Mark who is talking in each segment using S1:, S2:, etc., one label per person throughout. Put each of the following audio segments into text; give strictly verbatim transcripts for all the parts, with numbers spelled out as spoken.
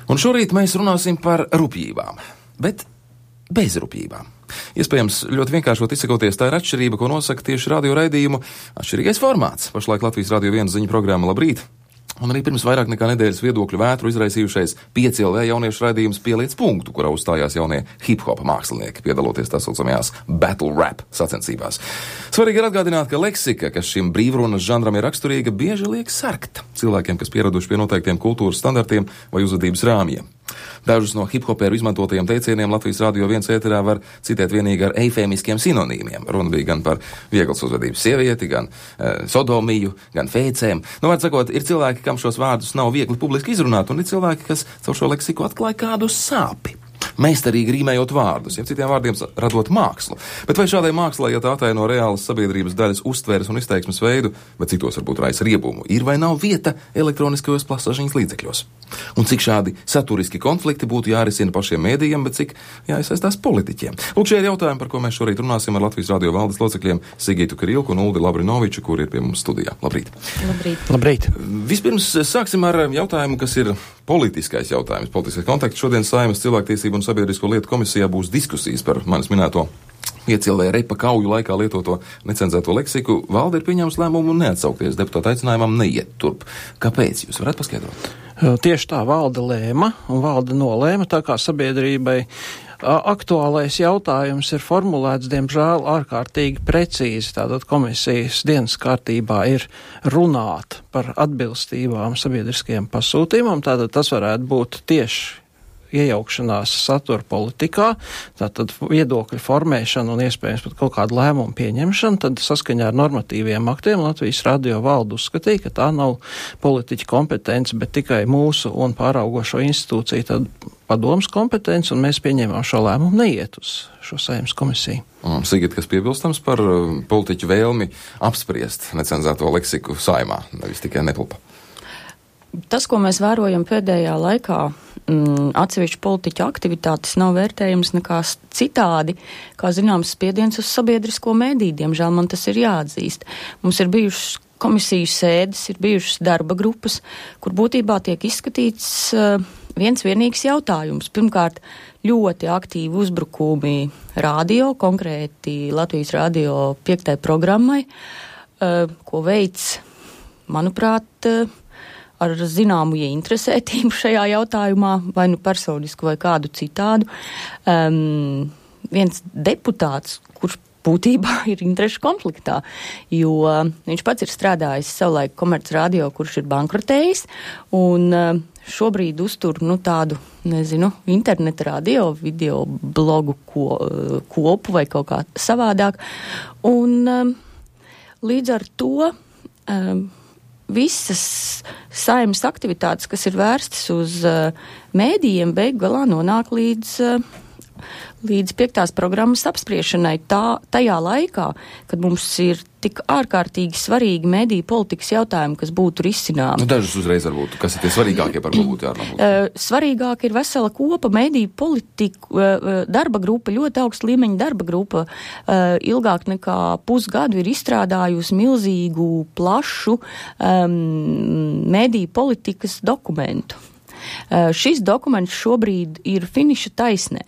S1: Un šorīt mēs runāsim par rupjībām, bet bez rupjībām. Iespējams, ļoti vienkāršot izsakoties, tā ir atšķirība, ko nosaka tieši radio raidījumu atšķirīgais formāts. Pašlaik Latvijas Radio viens ziņu programma Labrīt. Un arī pirms vairāk nekā nedēļas viedokļu vētru izraisījušais pieci L V jauniešu raidījums Pieliec punktu, kurā uzstājās jaunie hip-hop mākslinieki, piedaloties tā saucamajās battle rap sacensībās. Svarīgi ir atgādināt, ka leksika, kas šim brīvrunas žanram ir raksturīga, bieži liek sarkt cilvēkiem, kas pieraduši pie noteiktiem kultūras standartiem vai uzvedības rāmjiem. Dažus no hip-hoperu izmantotajiem teicieniem Latvijas Radio viens ēterā var citēt vienīgi ar eifēmiskiem sinonīmiem. Runa bija gan par vieglas uzvedības sievieti, gan e, sodomiju, gan fēcēm. Nu, var sakot, ir cilvēki, kam šos vārdus nav viegli publiski izrunāt, un ir cilvēki, kas caur šo leksiku atklāja kādu sāpi. Meistarīgi rīmējot vārdus, jeb citiem vārdiem radot mākslu. Bet vai šādai mākslai, ja tā ataino reālas sabiedrības daļas uztveres un izteiksmes veidu, bet citos varbūt raisa riebumu, ir vai nav vieta elektroniskajos plašsaziņas līdzekļos? Un cik šādi saturiski konflikti būtu jārisina pašiem mēdījiem, bet cik jāiesaistās politiķiem? Lūk, šie ir jautājumi, par ko mēs šorīt runāsim ar Latvijas Radio valdes locekļiem Sigītu Kirilku un Uldi Labrinoviču, kur ir pie mums studijā. Labrīt.
S2: Labrīt.
S3: Labrīt.
S1: Vispirms sāksim ar jautājumu, kas ir politiskais jautājums, politiskais konteksts. Šodien Saeimas cilvēktiesību un sabiedrisko lietu komisijā būs diskusijas par manis minēto pieci L V repa kauju laikā lietoto necenzēto leksiku. Valde ir pieņēmusi lēmumu neatsaukties deputāta aicinājumam neiet turp. Kāpēc? Jūs varat paskaidrot?
S3: Tieši tā valde lēma, un valde nolēma, tā kā sabiedrībai aktuālais jautājums ir formulēts, diemžēl, ārkārtīgi precīzi. Tātad komisijas dienas kārtībā ir runāt par atbilstībām sabiedriskajiem pasūtījumam, tātad tas varētu būt tieši iejaukšanās satura politikā, tātad viedokļu formēšana un iespējams pat kaut kādu lēmumu pieņemšana, tad saskaņā ar normatīviem aktiem Latvijas Radio valde uzskatīja, ka tā nav politiķa kompetence, bet tikai mūsu un pāraugošo institūciju tad padomas kompetence, un mēs pieņēmām šo lēmumu neiet uz šo Saeimas komisiju.
S1: Mm, Sigit, kas piebilstams par uh, politiķu vēlmi apspriest necenzēto leksiku Saeimā, nevis tikai nepulpa?
S2: Tas, ko mēs vērojam pēdējā laikā, mm, atsevišķu politiķu aktivitātes nav vērtējums nekā citādi, kā zināms spiediens uz sabiedrisko mēdī. Diemžēl man tas ir jāatzīst. Mums ir bijušas komisiju sēdes, ir bijušas darba grupas, kur būtībā tiek izskatīts uh, viens vienīgs jautājums. Pirmkārt, ļoti aktīvi uzbrukumi radio, konkrēti Latvijas Radio piektai programmai, uh, ko veids, manuprāt, uh, ar zināmu ieinteresētību šajā jautājumā, vai nu personisku vai kādu citādu. Um, viens deputāts, kurš būtībā ir interešu konfliktā, jo viņš pats ir strādājis savulaik Komerc Radio, kurš ir bankrotējis, un uh, šobrīd uztur, nu, tādu, nezinu, interneta radio, video blogu ko, uh, kopu vai kaut kā savādāk. Un um, līdz ar to um, visas Saeimas aktivitātes, kas ir vērstas uz uh, mēdījiem, beig galā nonāk līdz, uh, līdz piektās programmas apspriešanai tā, tajā laikā, kad mums ir tik ārkārtīgi svarīgi mēdīju politikas jautājumi, kas būtu risināmi.
S1: Nu, dažus uzreiz varbūt, kas ir tie svarīgākie, par ko būtu jārunā?
S2: Uh, svarīgāk ir vesela kopa mēdīju politiku, uh, darba grupa, ļoti augsta līmeņa darba grupa, uh, ilgāk nekā pusgadu ir izstrādājusi milzīgu, plašu um, mēdīju politikas dokumentu. Uh, šis dokuments šobrīd ir finiša taisnē.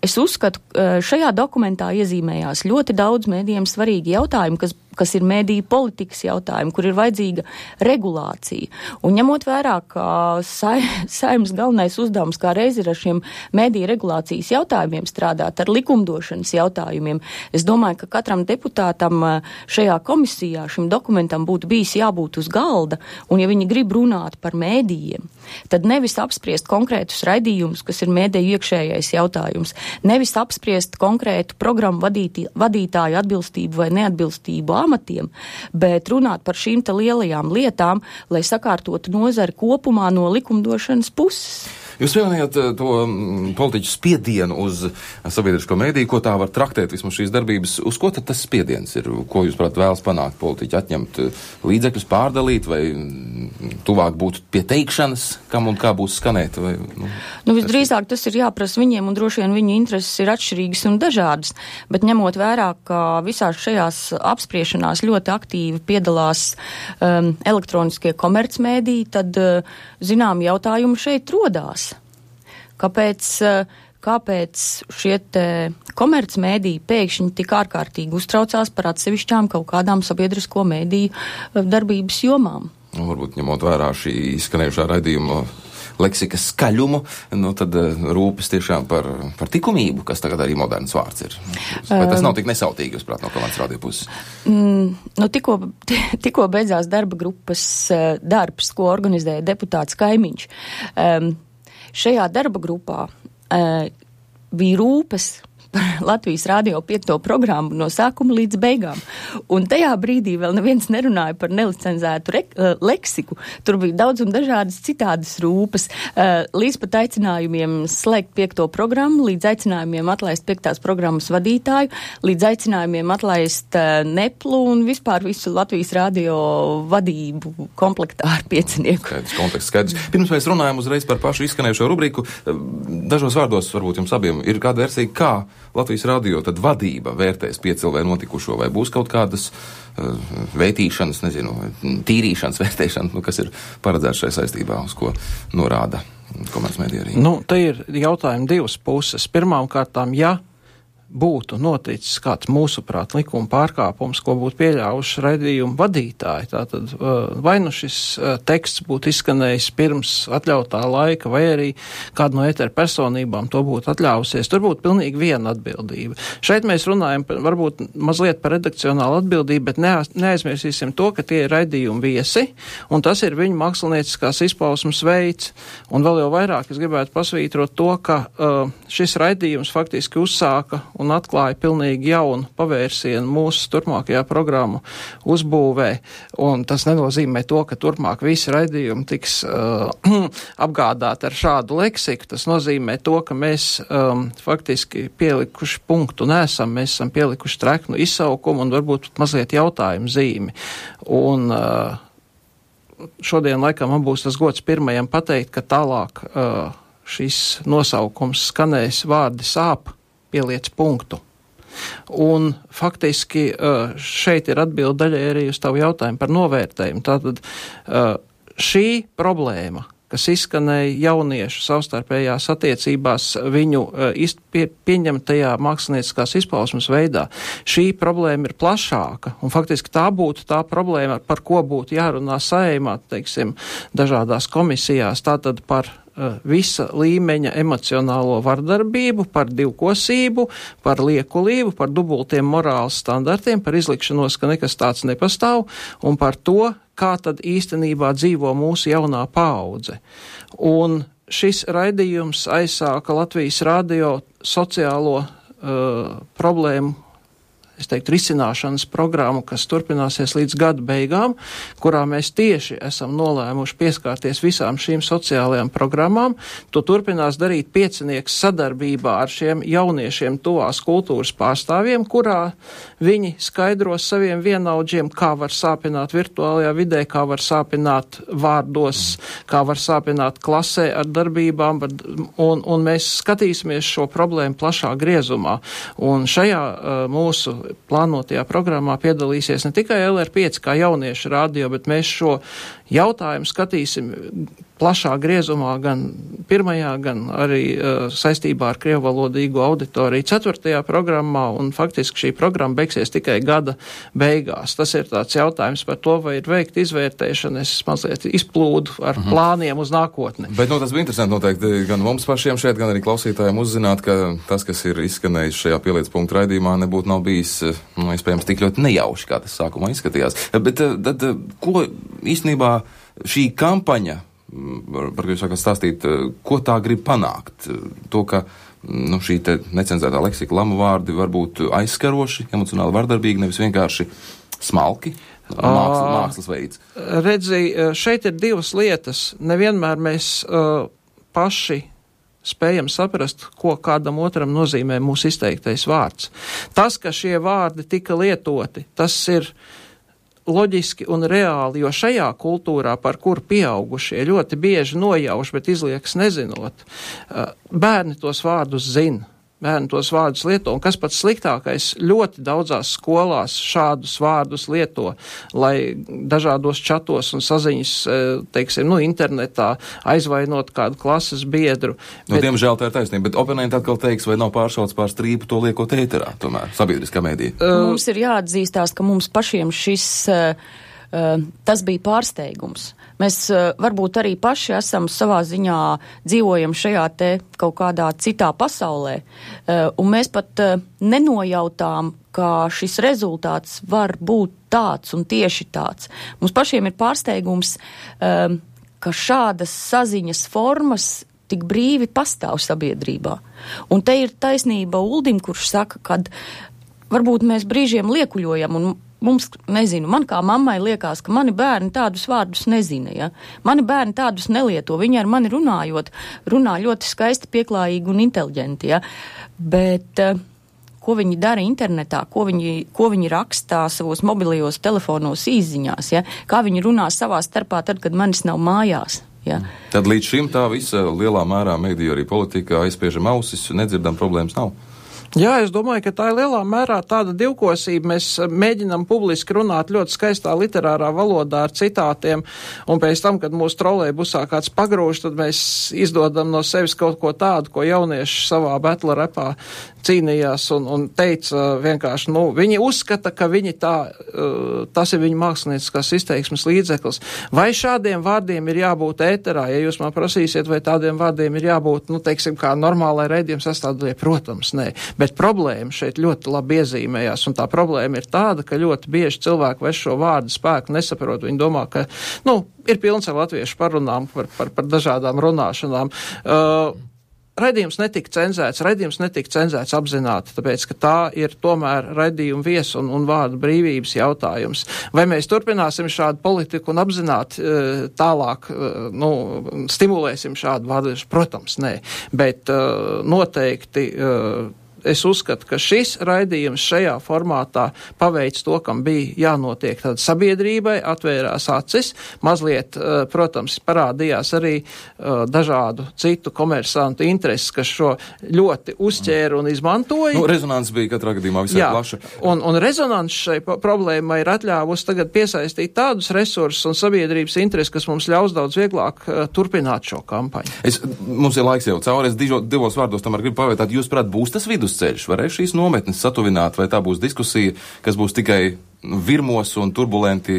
S2: Es uzskatu, uh, šajā dokumentā iezīmējās ļoti daudz mēdījiem svarīgi jautājumi, kas, kas ir mēdīju politikas jautājumi, kur ir vajadzīga regulācija. Un ņemot vērā, ka sa, Saeimas galvenais uzdevums kā reiz ir ar šiem mēdīju regulācijas jautājumiem strādāt, ar likumdošanas jautājumiem, es domāju, ka katram deputātam šajā komisijā šim dokumentam būtu bijis jābūt uz galda, un ja viņi grib runāt par mēdījiem, tad nevis apspriest konkrētus raidījumus, kas ir mēdīju iekšējais jautājums, nevis apspriest konkrētu programmu vadītī, vadītāju atbilstību vai neatbilstību amatiem, bet runāt par šīm te lielajām lietām, lai sakārtotu nozari kopumā no likumdošanas puses.
S1: Jūs pieminējāt to politiķu spiedienu uz sabiedrisko mēdīju, ko tā var traktēt vismaz šīs darbības. Uz ko tad tas spiediens ir? Ko jūs, prāt, vēlas panākt politiķi? Atņemt līdzekļus, pārdalīt vai tuvāk būt pie teikšanas, kam un kā būs skanēt? Vai, nu,
S2: nu, visdrīzāk tas ir jāprasa viņiem, un droši vien viņu intereses ir atšķirīgas un dažādas, bet ņemot vērā, ka visās šajās apspriešanās ļoti aktīvi piedalās um, elektroniskie komercmēdiji, tad uh, zinām jautājumi šeit rodās. Kāpēc, kāpēc šie te komercmēdiji pēkšņi tik ārkārtīgi uztraucās par atsevišķām kaut kādām sabiedrisko mēdīju darbības jomām?
S1: Nu, varbūt ņemot vērā šī izskanējušā raidījuma leksikas skaļumu, nu tad rūpes tiešām par, par tikumību, kas tagad arī moderns vārds ir. Vai tas nav tik nesautīgi, jūs prāt, no Komandas radio puses?
S2: Mm, nu, tikko, tikko beidzās darba grupas darbs, ko organizēja deputāts Kaimiņš. Um, šajā darba grupā uh, bija rūpes par Latvijas radio piekto programmu no sākuma līdz beigām. Un tajā brīdī vēl neviens nerunāja par nelicenzētu re, uh, leksiku. Tur bija daudz un dažādas citādas rūpes. Uh, līdz pat aicinājumiem slēgt piekto programmu, līdz aicinājumiem atlaist piektās programmas vadītāju, līdz aicinājumiem atlaist uh, neplu un vispār visu Latvijas radio vadību komplektā ar piecinieku.
S1: Skaidrs, konteksts skaidrs. Pirms mēs runājam uzreiz par pašu izskanējušo rubriku, dažos vārdos varbūt jums abiem ir kāda versija, kā Latvijas radio tad vadība vērtēs piecilvē notikušo, vai būs kaut kādas uh, vērtīšanas, nezinu, tīrīšanas vērtēšanas, nu, kas ir paredzēts šai saistībā, uz ko norāda komercmedija arī?
S3: Nu, te ir jautājumi divas puses. Pirmām kārtām, ja būtu noticis kāds mūsuprāt likuma pārkāpums, ko būtu pieļāvuši raidījumu vadītāji, tātad vai nu šis teksts būtu izskanējis pirms atļautā laika, vai arī kāda no etera personībām to būtu atļāvusies, tur būtu pilnīgi viena atbildība. Šeit mēs runājam varbūt mazliet par redakcionālu atbildību, bet neaizmirsīsim to, ka tie ir raidījumi viesi, un tas ir viņu mākslinieciskās izpausmes veids. Un vēl jau vairāk es gribētu pasvītrot to, ka uh, šis raidījums faktiski uzsāka un atklāja pilnīgi jaunu pavērsienu mūsu turpmākajā programmu uzbūvē, un tas nenozīmē to, ka turpmāk visi raidījumi tiks uh, apgādāti ar šādu leksiku. Tas nozīmē to, ka mēs um, faktiski pielikuši punktu nesam, mēs esam pielikuši treknu izsaukumu un varbūt mazliet jautājumu zīmi. Un uh, šodien laikam man būs tas gods pirmajam pateikt, ka tālāk uh, šis nosaukums skanēs vārdi sāp, pieliec punktu. Un faktiski šeit ir atbilde daļai arī uz tavu jautājumu par novērtējumu. Tātad šī problēma, kas izskanēja jauniešu savstarpējās attiecībās viņu pie, pieņemtajā mākslinieckās izpausmes veidā, šī problēma ir plašāka, un faktiski tā būtu tā problēma, par ko būtu jārunā Saeimā, teiksim, dažādās komisijās, tātad par visa līmeņa emocionālo vardarbību, par divkosību, par liekulību, par dubultiem morāles standartiem, par izlikšanos, ka nekas tāds nepastāv, un par to, kā tad īstenībā dzīvo mūsu jaunā paudze. Un šis raidījums aizsāka Latvijas radio sociālo uh, problēmu, es teiktu, risināšanas programmu, kas turpināsies līdz gada beigām, kurā mēs tieši esam nolēmuši pieskārties visām šīm sociālajām programmām. To turpinās darīt piecinieks sadarbībā ar šiem jauniešiem tuvās kultūras pārstāvjiem, kurā viņi skaidros saviem vienaudžiem, kā var sāpināt virtuālajā vidē, kā var sāpināt vārdos, kā var sāpināt klasē ar darbībām, un, un mēs skatīsimies šo problēmu plašā griezumā. Un šajā uh, mūsu plānotajā programmā piedalīsies ne tikai L R pieci kā jauniešu radio, bet mēs šo jautājumu skatīsim plašā griezumā gan pirmajā, gan arī uh, saistībā ar krievvalodīgo auditoriju ceturtajā programmā, un faktiski šī programma beigsies tikai gada beigās. Tas ir tāds jautājums par to, vai ir veikta izvērtēšana, es mazliet izplūdu ar mhm. plāniem uz nākotni.
S1: Bet, nu, tas bija interesanti noteikti gan mums pašiem šeit, gan arī klausītājiem uzzināt, ka tas, kas ir izskanējis šajā pieliec punktu raidījumā, nebūtu nav bijis, nu, iespējams, tik ļoti nejauši, kā tas sākumā izskatījās. Bet tad, ko īstenībā šī kampaņa, par ko jūs sākat stāstīt, ko tā grib panākt? To, ka nu, šī te necenzētā leksika, lamu vārdi var būt aizskaroši, emocionāli vardarbīgi, nevis vienkārši smalki, mākslas, mākslas veids.
S3: Redzi, šeit ir divas lietas. Nevienmēr mēs uh, paši spējam saprast, ko kādam otram nozīmē mūsu izteiktais vārds. Tas, ka šie vārdi tika lietoti, tas ir loģiski un reāli, jo šajā kultūrā, par kuru pieaugušie ļoti bieži nojauš, bet izliekas nezinot, bērni tos vārdus zina. Bērni tos vārdus lieto, un kas pats sliktākais, ļoti daudzās skolās šādus vārdus lieto, lai dažādos čatos un saziņas, teiksim, nu, internetā aizvainot kādu klases biedru.
S1: Nu, bet, diemžēl tā ir taisnība, bet oponenti atkal teiks, vai nav pāršauts pār strīpu to liekot ēterā, tomēr, sabiedriskā mēdī.
S2: Uh, mums ir jāatzīstās, ka mums pašiem šis, uh, uh, tas bija pārsteigums. Mēs uh, varbūt arī paši esam savā ziņā dzīvojam šajā te kaut kādā citā pasaulē, uh, un mēs pat uh, nenojautām, ka šis rezultāts var būt tāds un tieši tāds. Mums pašiem ir pārsteigums, uh, ka šādas saziņas formas tik brīvi pastāv sabiedrībā. Un te ir taisnība Uldim, kurš saka, kad varbūt mēs brīžiem liekuļojam un mums, nezinu, man kā mammai liekas, ka mani bērni tādus vārdus nezina, ja? Mani bērni tādus nelieto, viņi ar mani runājot, runā ļoti skaisti, pieklājīgi un inteliģenti, ja? Bet uh, ko viņi dara internetā, ko viņi, ko viņi rakstā savos mobilajos telefonos īsziņās, ja? Kā viņi runā savā starpā tad, kad manis nav mājās. Ja?
S1: Tad līdz šim tā visa lielā mērā mediju arī politikā aizspiežam ausis, nedzirdam, problēmas nav.
S3: Jā, es domāju, ka tā ir lielā mērā tāda divkosība. Mēs mēģinam publiski runāt ļoti skaistā literārā valodā ar citātiem, un pēc tam, kad mūsu trolejbusā kāds pagrūž, tad mēs izdodam no sevis kaut ko tādu, ko jaunieši savā betla repā cīnījās un, un teica vienkārši, nu, viņi uzskata, ka viņi tā, tas ir viņa mākslinieckās izteiksmes līdzeklis. Vai šādiem vārdiem ir jābūt ēterā? Ja jūs man prasīsiet, vai tādiem vārdiem ir jābūt, nu, teiksim, kā normālai raidījuma sastāvdaļai, protams, nē. Bet problēma šeit ļoti labi iezīmējās, un tā problēma ir tāda, ka ļoti bieži cilvēki vairs šo vārdu spēku nesaprot. Viņi domā, ka, nu, ir pilns ar latviešu parunām par, par, par dažādām runāšanām. Uh, Raidījums netika cenzēts, raidījums netika cenzēts apzināti, tāpēc, ka tā ir tomēr raidījuma viesu un, un vārdu brīvības jautājums. Vai mēs turpināsim šādu politiku un apzināti uh, tālāk, uh, nu, stimulēsim šādu vārdu? Protams, nē, bet uh, noteikti uh, es uzskatu, ka šis raidījums šajā formātā paveic to, kam bija jānotiek. Tad sabiedrībai atvērās acis, mazliet, protams, parādījās arī dažādu citu komersantu intereses, kas šo ļoti uzķēra un izmantoja.
S1: Nu, rezonans bija katrā gadījumā visai
S3: Jā,
S1: plaša.
S3: Un, un rezonans šai problēmai ir atļāvusi tagad piesaistīt tādus resursus un sabiedrības intereses, kas mums ļaus daudz vieglāk uh, turpināt šo kampaņu.
S1: Es, mums ir laiks jau cauri, es dižo, divos vārdos tomēr gribu pavaicāt, jūs prāt, būs tas vidusceļš, varēs šīs nometnes satuvināt, vai tā būs diskusija, kas būs tikai virmos un turbulenti.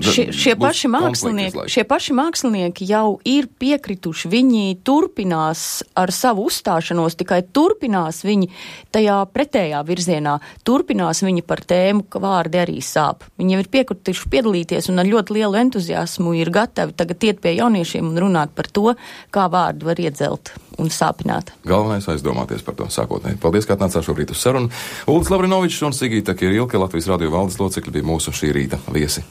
S2: Šie, šie, paši mākslinieki, šie paši mākslinieki jau ir piekrituši, viņi turpinās ar savu uzstāšanos, tikai turpinās viņi tajā pretējā virzienā, turpinās viņi par tēmu, ka vārdi arī sāp. Viņi jau ir piekrituši piedalīties un ar ļoti lielu entuziasmu ir gatavi tagad iet pie jauniešiem un runāt par to, kā vārdu var iedzelt un sāpināt.
S1: Galvenais aizdomāties par to sākotnēji. Paldies, ka atnācāt šobrīd uz sarunu. Uldis Lavrinovičs un Sigīta Kirilke, Latvijas radio valdes locekļi, bija mūsu šī rīta viesi.